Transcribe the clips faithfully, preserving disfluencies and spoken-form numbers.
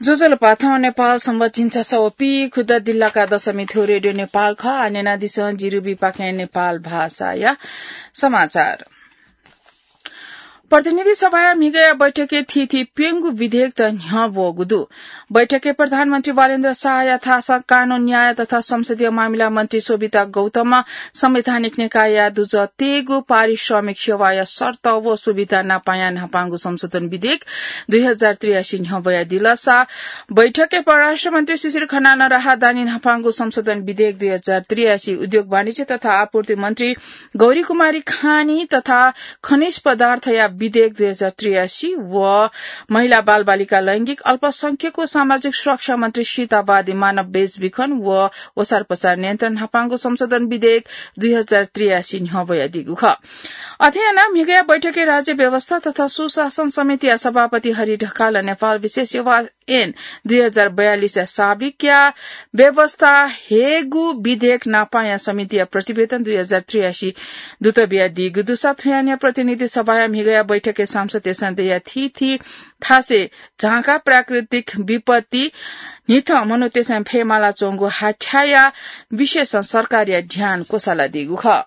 ज्वजलपा, थौं नेपाल संवत झिंछसः व पीखुदँ दिल्लाका दशमी थ्व रेडियो नेपाल खः। आः न्यनादिसँ जिरुबीपाखें नेपाल भाषाया समाचार। प्रतिनिधि सभाया म्हिगःया बैठकय् थीथी प्यंगू विधेयकत न्ह्यः ब्वःगु दु। बैठकय् प्रधानमन्त्री बालेन्द्र शाहया थासं कानून, न्याय तथा संसदीय मामिला मन्त्री शोभिता गौतमं संवैधानिक निकायया दुजः तयेगु पारिश्रमिक सेवाया शर्त व सुविधा नापाया न्हापांगु संशोधन विधेयक दुई हजार त्रियासी न्ह्यः ब्वयादिल। सा बैठकय् परराष्ट्र मन्त्री शिशिर खनालं राहदानी न्हापांगु संशोधन विधेयक दुई हजार त्रियासी, उद्योग वाणिज्य तथा आपूर्ति मन्त्री गौरी कुमारी खानी तथा खनिज पदार्थया विधेयक दुई हजार त्रियासी व महिला बालबालिका लैंगिक अल्पसंख्यक व सामाजिक सुरक्षा मन्त्री सीतावादी मानव बेचबिखन व ओसारपसार नियन्त्रण न्हापांगु संशोधन विधेयक दुई हजार त्रियासी न्ह्यः ब्वयादीगु खः। अथे यानाः म्हिगःया बैठकय् राज्य व्यवस्था तथा सुशासन समितिया सभापति हरि ढकालं नेपाल विशेष सेवा ऐन दुई हजार बयालिसया साविकया व्यवस्था हयेगु विधेयक नापाया समितिया प्रतिवेदन दुई हजार त्रियासी दुत बियादीगु दुसा थुयानिया प्रतिनिधि सभाया म्हिगःया बैठकय् सांसदतय्सं दया थीथी थासय् झांका प्राकृतिक विपत्ति न्हिथं मनूतय्सं फयेमाला च्वंगु हाथ्याया विषयसं सरकारया ध्यान क्वसालादीगु खः।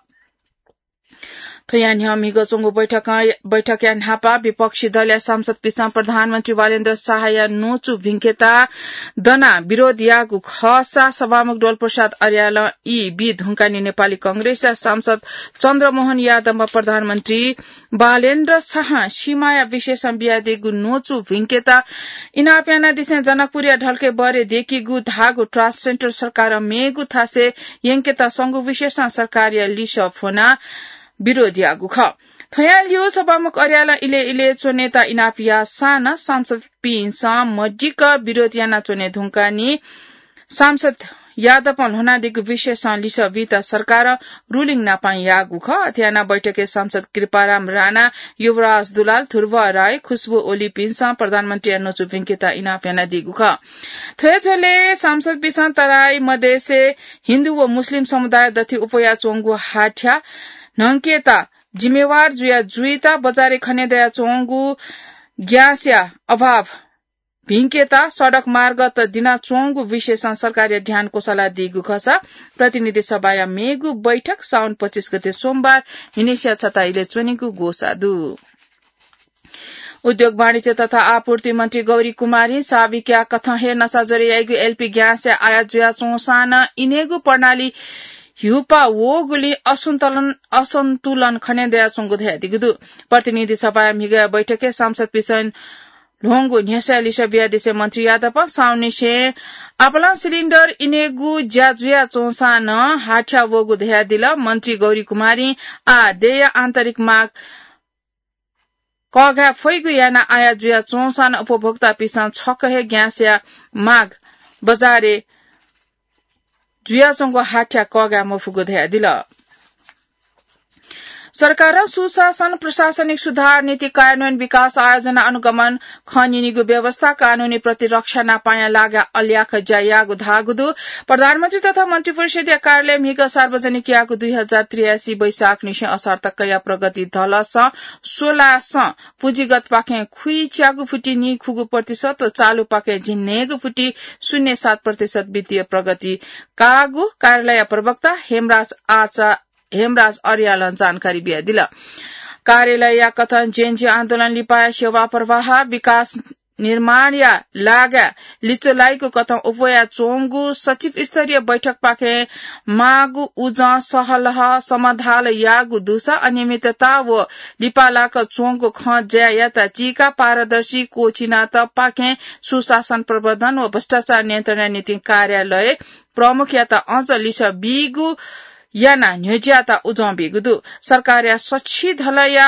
थ्वया न्ह्यः म्हिगः च्वंगु बैठकं, बैठकया न्हापा विपक्षी दलया सांसदपिसं प्रधानमन्त्री बालेन्द्र शाहया न्वचु भिंकेता दनाः विरोध याःगु खःसा सभामुख डोलप्रसाद अर्यालं ई बी धुंकानि नेपाली कांग्रेसया सांसद चन्द्रमोहन यादवं प्रधानमन्त्री बालेन्द्र शाहं सीमाया विषयसं बियादीगु न्वचु भिंकेता इनाप यानादिसें जनकपुरया ढल्के बरे देकीगु धाःगु ट्रान्सजेन्डर सरकारं मेगु थासय् यंकेता संगु विषयसं सरकारया लिसः फ्वनाः विरोध याःगु खः। थ्वया ल्यू सभामुख अर्यालं इलय् इलय् च्वनेत इनाप याःसां नं सांसदपिन्सं मदिक्क विरोध यानाच्वने धुंकानि सांसद यादवं ल्ह्वनादीगु विषयसं लिसः बीत सरकारं रुलिङ नापां याःगु खः। अथे यानाः बैठकय् सांसद कृपाराम राणा, युवराज दुलाल, ध्रुव राई, खुशबु ओलीपिन्सं प्रधानमन्त्रीया न्वचु भिंकेत इनाप यानादीगु खः। थ्व हे झ्वलय् सांसदपिसं तराई मधेसय् हिन्दू व मुस्लिम समुदाय दथुइ अप्वयाच्वंगु हाथ्या न्हंकेत जिम्मेवार जुया जुइत बजारय् खने दयाच्वंगु ग्यासया अभाव भिंकेत सडक मार्गत दिनाच्वंगु विषयसं सरकारया ध्यान क्वसालादीगु खःसा प्रतिनिधि सभाया मेगु बैठक साउन पच्चिस गते सोमबार न्हिनय्सिया छता इलय् च्वनीगु ग्वसाः दु। उद्योग वाणिज्य तथा आपूर्ति मन्त्री गौरी कुमारीं साविकया कथं हे नसा ज्वरे याइगु एलपी ग्यासया आयात जुयाच्वंसां नं इनेगु प्रणाली ह्युपा वःगुलिं असन्तुलन, असन्तुलन खने दयाच्वंगु धयादीगु दु। प्रतिनिधि सभाया म्हिगःया बैठकय् सांसदपिसं ल्ह्वंगु न्ह्यसःया लिसः बियादिसें मन्त्री यादवं साउननिसें आपालं सिलिन्डर इनेगु ज्या जुयाच्वंसां नं हाथ्या वःगु धयादिल। मन्त्री गौरी कुमारीं आः देय्या आन्तरिक माग कःघाये फइगु यानाः आयात जुयाच्वंसां नं उपभोक्तापिसं छकः हे ग्यासया माग बजारय् जुयाच्वंगु हाथ्या कःघाये मफुगु धयादिल। सरकारं सुशासन, प्रशासनिक सुधार, नीति कार्यान्वयन, विकास, आयोजना, अनुगमन, खँ न्यनीगु व्यवस्था, कानूनी प्रतिरक्षा नापांया लागाय् अल्याख ज्या याःगु धाःगु दु। प्रधानमन्त्री तथा मन्त्रिपरिषद्या कार्यालयं म्हिगः सार्वजनिक याःगु दुई हजार त्रियासी वैशाखनिसें असार तकया प्रगति धलसं स्वलासं पुँजीगतपाखें खुइच्यागु फुति नीखुगू प्रतिशत व चालुपाखें झिंन्हय्गू फुति शून्य सात प्रतिशत वित्तीय प्रगति काःगु कार्यालयया प्रवक्ता हेमराज आचा-, हेमराज अर्यालं जानकारी बियादिल। कार्यालयया कथं जेएनजी आन्दोलन लिपाया सेवा प्रवाह, विकास निर्माणया लागाय् लिच्वलाइगु कथं अप्वयाच्वंगु सचिव स्तरीय बैठकपाखें माःगु उजं सहलह समाधाल याःगु दुसा अनियमितता व लिपालाक च्वंगु खँ ज्यायात चीकाः पारदर्शी क्वःछिनातःपाखें सुशासन प्रवर्धन व भ्रष्टाचार नियन्त्रणया निंतिं कार्यालय प्रमुखयात अझ लिसः बीगु यानाः न्ह्यज्याःत उजं बीगु दु। सरकारया सछि धलया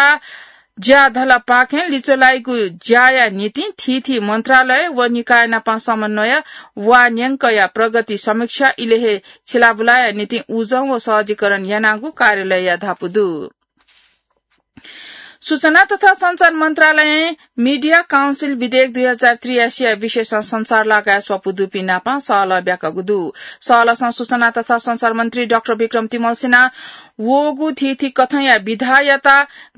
ज्या धलपाखें लिच्वलाइगु ज्याया निंतिं थीथी मन्त्रालय व निकाय नाप समन्वय वा न्यंकया प्रगति समीक्षा इलय् हे छिलाबुलाया निंतिं उजं व सहजीकरण यानागु कार्यालयया धापू दु। सूचना तथा सञ्चार मन्त्रालयं मिडिया काउन्सिल विधेयक दुई हजार त्रियासी या विषयसं सञ्चार लागाय् स्वापू दुपिं नापं सहलह ब्याकागु दु। सहलहसं सूचना तथा सञ्चार मन्त्री डाक्टर विक्रम तिमल्सिनां वःगु थीथी कथंया विधायात,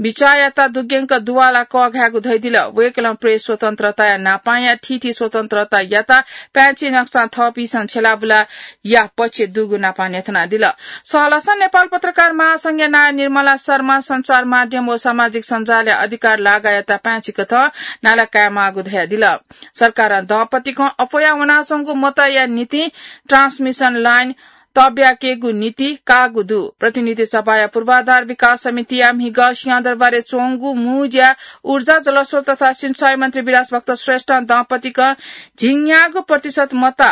बिचाःयात दुग्यंक दुवाला कःघायेगु धयादिल। वय्कलं प्रेस स्वतन्त्रताया नापांया थीथी स्वतन्त्रतायात पाय्छि नकसां थःपिसं छ्यलाबुला या पक्ष दुगु नापं न्ह्यथनादिल। सहलहसं नेपाल पत्रकार महासंघया नायः निर्मला शर्मा, सञ्चार माध्यम व सामाजिक सञ्जालया अधिकार लागायात पाय्छि कथं नाला कायेमाःगु धयादिल। सरकारं दँपतिकं अप्वया वनाच्वंगु मतया निंतिं ट्रान्समिसन लाइन तब्याकेगु नीति काःगु दु। प्रतिनिधि सभाया पूर्वाधार विकास समितिया म्हिगः सिंहदरबारय् च्वंगु मुँज्या ऊर्जा, जलस्रोत तथा सिंचाई मन्त्री विलास भक्त श्रेष्ठं दँपतिकं झिंन्यागू प्रतिशत मत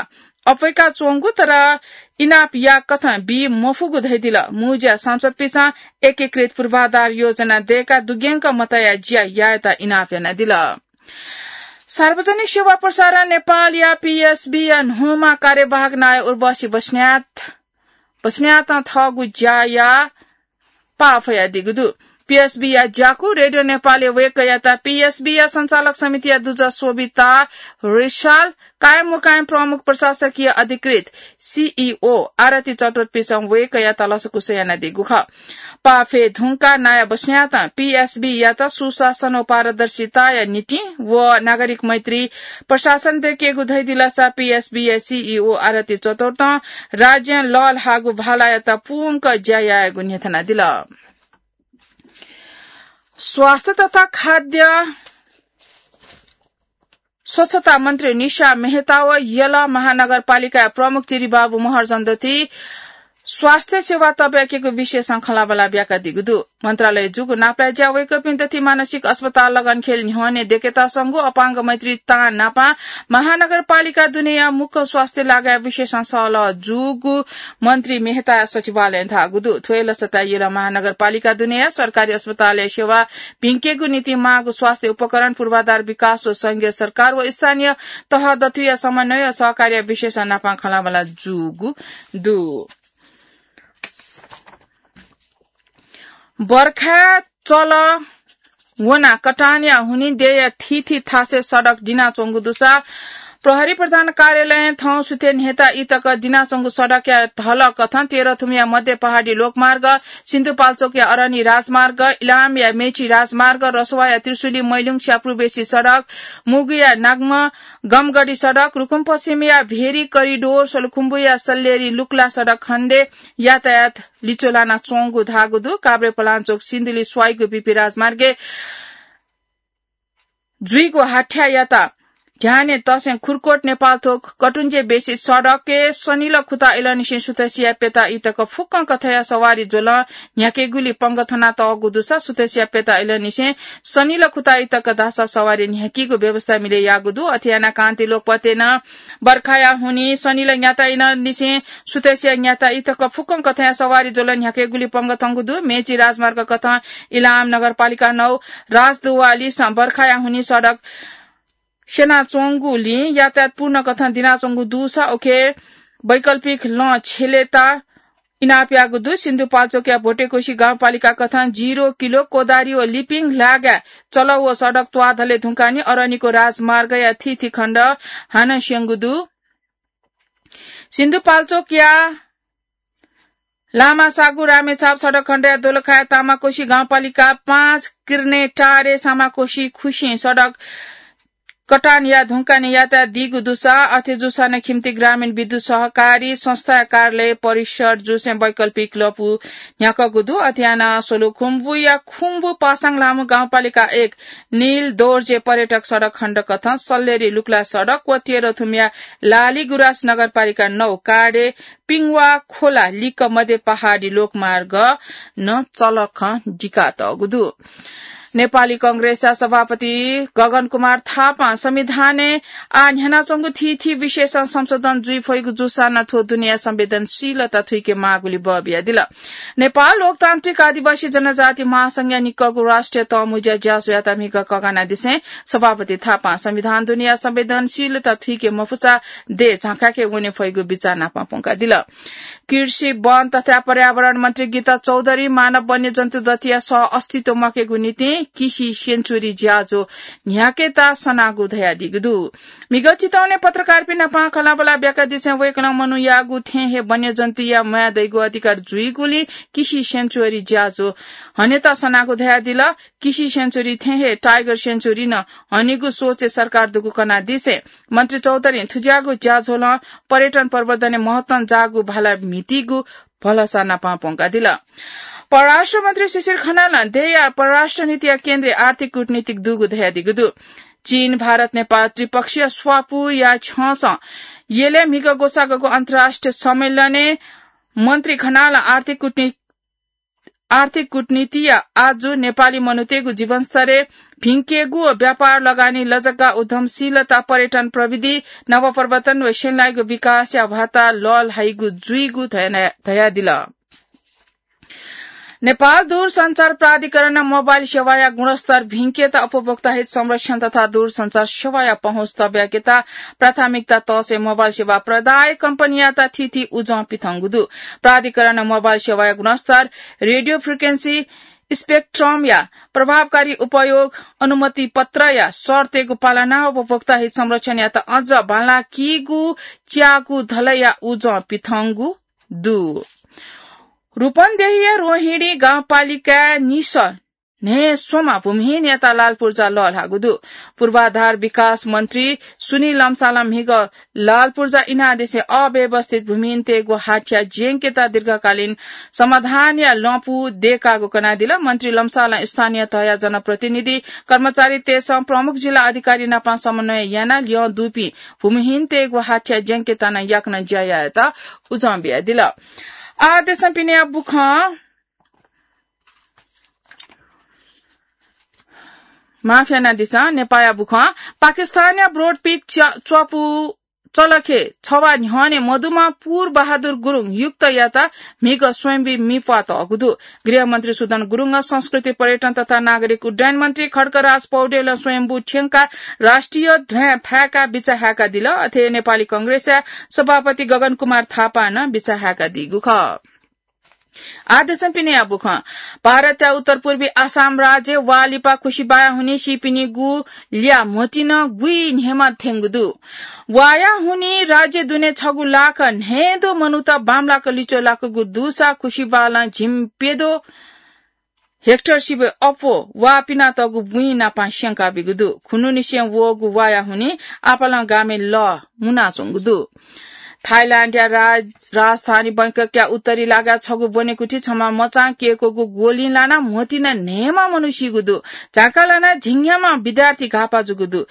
अप्वय्का च्वंगु तर इनाप या कथं बी मफुगु धयादिल। मुँज्या सांसदपिसं एकीकृत पूर्वाधार योजना दय्काः दुग्यंक मतया ज्या यायेत इनाप यानादिल। सार्वजनिक सेवा प्रसारण नेपालया पीएसबीया न्हूम्ह कार्यवाहक नायः उर्वशी बस्नेत, बस्नेतं थःगु ज्याया पाः फयादीगु दु। पीएसबीया ज्याकू रेडियो नेपालय् वय्कःयात पीएसबीया सञ्चालक समितिया दुजः शोभिता रिसाल, कायम मुकायम प्रमुख प्रशासकीय अधिकृत, सीईओ, आरती चतुर्थपिसं वय्कःयात लसकुस यानादीगु खः। पाः फये धुंकाः नायः बस्नेतं पीएसबीयात सुशासन व पारदर्शिताया निंतिं व नागरिक मैत्री प्रशासन दय्केगु धयादिलसा पीएसबीया सीईओ आरती चतुर्थं राज्यं लःल्हाःगु भालायात पूवंक ज्या यायेगु न्ह्यथनादिल। स्वास्थ्य तथा खाद्य स्वच्छता मन्त्री निशा मेहता व यल महानगरपालिकाया प्रमुख चिरिबाबु महर्जन दति स्वास्थ्य सेवा तब्याकेगु विषयसं खँल्हाबल्हा ब्याकादीगु दु। मन्त्रालय जूगु नापलाये ज्या वय्कःपिं दथि मानसिक अस्पताल लगनखेल न्ह्यःने दय्केत संगु अपांग मैत्री तां नापं महानगरपालिका दुनेया मुख्य स्वास्थ्य लागाया विषयसं सहलह जूगु मन्त्री मेहताया सचिवालयं धाःगु दु। थ्व हे लसताय् यल महानगरपालिका दुनेया सरकारी अस्पतालया सेवा भिंकेगु निंतिं माःगु स्वास्थ्य उपकरण, पूर्वाधार विकास व संघीय सरकार व स्थानीय तह दथुया समन्वय व सहकार्य विषयसं नापं खँल्हाबल्हा जूगु दु। बर्खाय् चल वना कटानया हुनिं देय्या थीथी थासय् सडक दिनाच्वंगु दुसा प्रहरी प्रधान कार्यालयं थौं सुथय् न्ह्यता इतक दिनाच्वंगु सडकया धलः कथं तेह्रथुमया मध्य पहाडी लोकमार्ग, सिन्धुपाल्चोकया अरनी राजमार्ग, इलामया मेची राजमार्ग, रसुवाया त्रिशुली मैलुङ स्यापुर्बेसी सडक, मुगुया नागम गमगढी सडक, रुकुमपश्चिमया भेरी करिडोर, सोलुखुम्बुया सल्लेरी लुक्ला सडक खण्डय् यातायात लिच्वलानाच्वंगु धाःगु दु। काभ्रेपलाञ्चोक सिन्धुली स्वाइगु बीपी राजमार्गय् जुइगु हाथ्यायात ध्याने तसें खुरकोट नेपालथोक कटुञ्जे बेसी सडकय् सनिल खुता इलंनिसें सुथसिया प्यता इतक फुक्कं कथंया सवारी ज्वलं न्ह्याकेगुली पंगः थनातःगु दुसा सुथसिया प्यता इलंनिसें सनिल खुता इतक धाःसा सवारी न्ह्याकीगु व्यवस्था मिले याःगु दु। अथे यानाः कान्ति लोकपथय् नं बर्खाया हुनिं सनिल न्याता इलंनिसें सुथसिया न्याता इतक फुक्कं कथंया सवारी ज्वलं न्ह्याकेगुली पंगः थंगु दु। मेची राजमार्ग कथं इलाम नगरपालिका नौ राजदुवालिसं बर्खाया हुनिं सडक स्यनाच्वंगुलिं यातायात पूर्ण कथं दिनाच्वंगु दुसा उखे वैकल्पिक लँ छ्यलेत इनाप याःगु दु। सिन्धुपाल्चोकया भोटेकोशी गाउँपालिका कथं जिरो किलो, कोदारी व लिपिङ लागाय् चलः व सडक त्वाःधले धुंकाः नि अरनिको राजमार्गया थीथी खण्ड हानं स्यंगु दु। सिन्धुपाल्चोकया लामासागु रामेछाप सडक खण्डया दोलखाया तामाकोशी गाउँपालिका पाँच किर्ने टारे सामाकोशी खुसिं सडक कटान या धुंकाने यातायात दीगु दुसा अथे जूसां नं खिम्ती ग्रामीण विद्युत सहकारी संस्थाया कार्यालय परिसर जूसें वैकल्पिक लँपु न्ह्याकःगु दु। अथे यानाः सोलुखुम्बुया खुम्बु पासाङ लामु गाउँपालिका एक नील दोर्जे पर्यटक सडक खण्ड कथं सल्लेरी लुक्ला सडक व तेह्रथुमया लालीगुराँस नगरपालिका नौ काडे पिङवा खोला लिक्क मध्य पहाडी लोकमार्ग नं चलखं दिकातःगु दु। नेपाली कंग्रेसया सभापति गगन कुमार थापां संविधानय् आः न्ह्यानाच्वंगु थीथी विषयसं संशोधन जुइ फइगु जूसां नं थ्व दुनेया संवेदनशीलता थुइके माःगुली बः बियादिल। नेपाल लोकतान्त्रिक आदिवासी जनजाति महासंघया निक्कःगु राष्ट्रिय तःमुँज्या ज्याझ्वःयात म्हिगः ककानादिसें सभापति थापां संविधान दुनेया संवेदनशीलता थुइके मफुसा देय् झाँखाय्के वने फइगु बिचाः नापं प्वंकादिल। कृषि, वन तथा पर्यावरण मन्त्री गीता चौधरी मानव वन्यजन्तु दतिया सह अस्तित्व म्वाकेगु निंतिं किसि सेन्चुरी ज्याझ्वः न्ह्याकेत सनागु धयादीगु दु। म्हिगः चितवने पत्रकारपिं नाप खँल्हाबल्हा ब्याकादिसें वय्कलं मनूयागु थें हे वन्यजन्तुया म्वाये दइगु अधिकार जुइगुलिं किसि सेन्चुरी ज्याझ्वः हनेत सनागु धयादिल। किसि सेन्चुरी थें हे टाइगर सेन्चुरी नं हनेगु सोचे सरकार दुगु कनादिसें मन्त्री चौधरीं थुज्याःगु ज्याझ्वलं पर्यटन प्रवर्धनय् महत्वं जाःगु भाला म्हितीगु भलसा नाप प्वंकादिल। परराष्ट्र मन्त्री शिशिर खनालं देय्या परराष्ट्र नीतिया केन्द्रय् आर्थिक कूटनीतिक दुगु धयादीगु दु। चीन, भारत, नेपाल त्रिपक्षीय स्वापूया छ्यंसं यलय् म्हिगः ग्वसाःगु अन्तर्राष्ट्रिय सम्मेलनय् मन्त्री खनालं आर्थिक कूटनी-, आर्थिक कूटनीतिया आजु नेपाली मनूतय्गु जीवनस्तरय् भिंकेगु व व्यापार, लगानी, लजग्गा, उद्यमशीलता, पर्यटन, प्रविधि, नवप्रवर्तन व सेनायागु विकासया वाता लःल्हाइगु जुइगु धया-, धयादिल। नेपाल दूरसञ्चार प्राधिकरणं मोबाइल सेवाया गुणस्तर भिंकेत उपभोक्ता हित संरक्षण तथा दूरसञ्चार सेवाया पहुँच तब्याकेत प्राथमिकता तःसय् मोबाइल सेवा प्रदायक कम्पनीयात थीथी उजं पिथंगु दु। प्राधिकरणं मोबाइल सेवाया गुणस्तर, रेडियो फ्रिक्वेन्सी स्पेक्ट्रमया प्रभावकारी उपयोग, अनुमति पत्रया शर्तय्गु पालना, उपभोक्ता हित संरक्षणयात अझ बांलाकीगु च्याःगु धलया उजं पिथंगु दु। रूपन्देहीया रोहिणी गाउँपालिकाय् निसः न्हय् स्वम्ह भूमिहीनयात लाल पूर्जा लःल्हाःगु दु। पूर्वाधार विकास मन्त्री सुनिल लम्सालं म्हिगः लाल पूर्जा इनादिसें अव्यवस्थित भूमिहीनतय्गु हाथ्या ज्यंकेत दीर्घकालीन समाधानया लँपु दय्कागु कनादिल। मन्त्री लम्सालं स्थानीय तहया जनप्रतिनिधि, कर्मचारीतय्सं प्रमुख जिल्ला अधिकारी नाप समन्वय यानाः ल्यं दुपिं भूमिहीनतय्गु हाथ्या ज्यंकेत नं याकनं ज्या यायेत उजं बियादिल। आः देशं पिनेया बुखँ माफ यानादिसँ, नेपाःया बुखँ। पाकिस्तानया ब्रोडपिक च-, च्वपु चलखे छवा न्ह्यःने मदुम्ह पूर बहादुर गुरुङ युक्तयात म्हिगः स्वयम्भू मि प्वातःगु दु। गृहमन्त्री सुदन गुरुङं संस्कृति, पर्यटन तथा नागरिक उड्डयन मन्त्री खड्गराज पौडेलं स्वयम्भू थ्यंकाः राष्ट्रिय ध्वाँय् फाय्काः बिचाः हाय्कादिल। अथे नेपाली कंग्रेसया सभापति गगन कुमार थापां नं बिचाः हाय्कादीगु खः। आः देशं पिनेया बुखँ। भारतया उत्तर पूर्वी आसाम राज्यय् वा लिपा खुसिबाया हुनिं सीपिनिगु ल्या म्होतिं गुइ न्हय्मा थ्यंगु दु। वाया हुनिं राज्य दुने छगू लाख न्हय्दँ मनूत बांमलाक लिच्वः लाकूगु दुसा खुसिबालं झिंप्यद्वः हेक्टर सिबय् अप्वः वा पिनातःगु बुँइ नाप स्यंकाबीगु दु। खुन्हुनिसें वःगु वाया हुनिं आपालं गामय् लः मुनाच्वंगु दु। थाइल्याण्डया राज-, राजधानी बैंककया उत्तरी लागाय् छगू ब्वनेकुथि छम्ह मचां क्यय्कूगु ग्वलिं लानाः म्होतिं न्हय्मा मनू सीगु दु। झांका लानाः झिंन्याम्ह विद्यार्थी घाःपाः जूगु दु।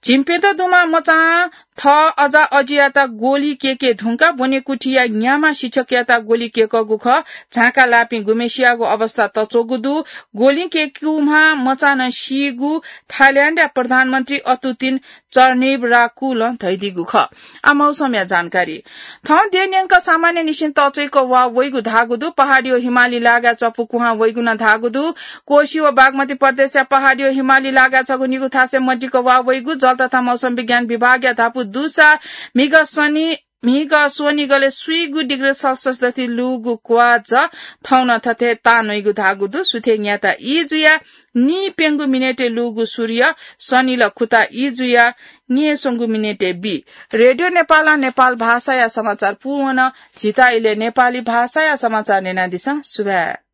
झिंप्यद्वः दुम्ह मचां थः अजा अजियात ग्वलि क्यय्के धुंकाः ब्वनेकुथिया न्याम्ह शिक्षकयात ग्वलि क्यय्कूगु खः। झांका लाःपिं गुम्हेसियागु अवस्था तच्वःगु दु। ग्वलिं क्यय्कूम्ह मचां नं सीगु थाइल्याण्डया प्रधानमन्त्री अतुतिन चर्निब राकुलं धयादीगु खः। आः मौसमया जानकारी। थौं देय् न्यंक सामान्य निसें तःच्वय्क वा वइगु धाःगु दु। पहाडी व हिमाली लागाय् च्वपु कुहां वइगु नं धाःगु दु। कोशी व बागमती प्रदेशया पहाडी व हिमाली लागाय् छगू निगू थासय् मदिक्क वा वइगु जल तथा मौसम विज्ञान विभागया धापू दुसा म्हिगः सनि, म्हिगः स्वनिगलय् स्वीगू डिग्री सेल्सियस दथुइ लूगु क्वाःझः थौं नं थथे तां नइगु धाःगु दु। सुथय् न्याता ई जुयाः नीप्यंगू मिनेटय् लूगु सूर्य सनिल खुता ई जुयाः नीस्वंगू मिनेटय् बी। रेडियो नेपालं नेपाल भाषाया समाचार पूवन। झीत इलय् नेपाली भाषाया समाचार न्यनादिसँ। सुभाय्।